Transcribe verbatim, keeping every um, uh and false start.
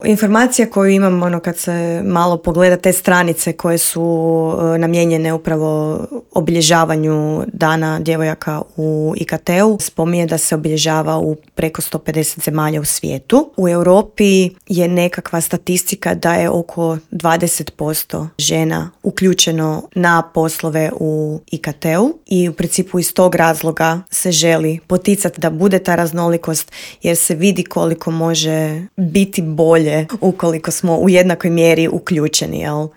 Informacija koju imam ono, kad se malo pogleda te stranice koje su e, namijenjene upravo obilježavanju Dana djevojaka u I K T-u, spominje da se obilježava u preko sto pedeset zemalja u svijetu. U Europi je nekakva statistika da je oko dvadeset posto žena uključeno na poslove u I K T-u i u principu iz tog razloga se želi poticati da bude ta raznolikost, jer se vidi koliko može biti bolje ukoliko smo u jednakoj mjeri uključeni, jel?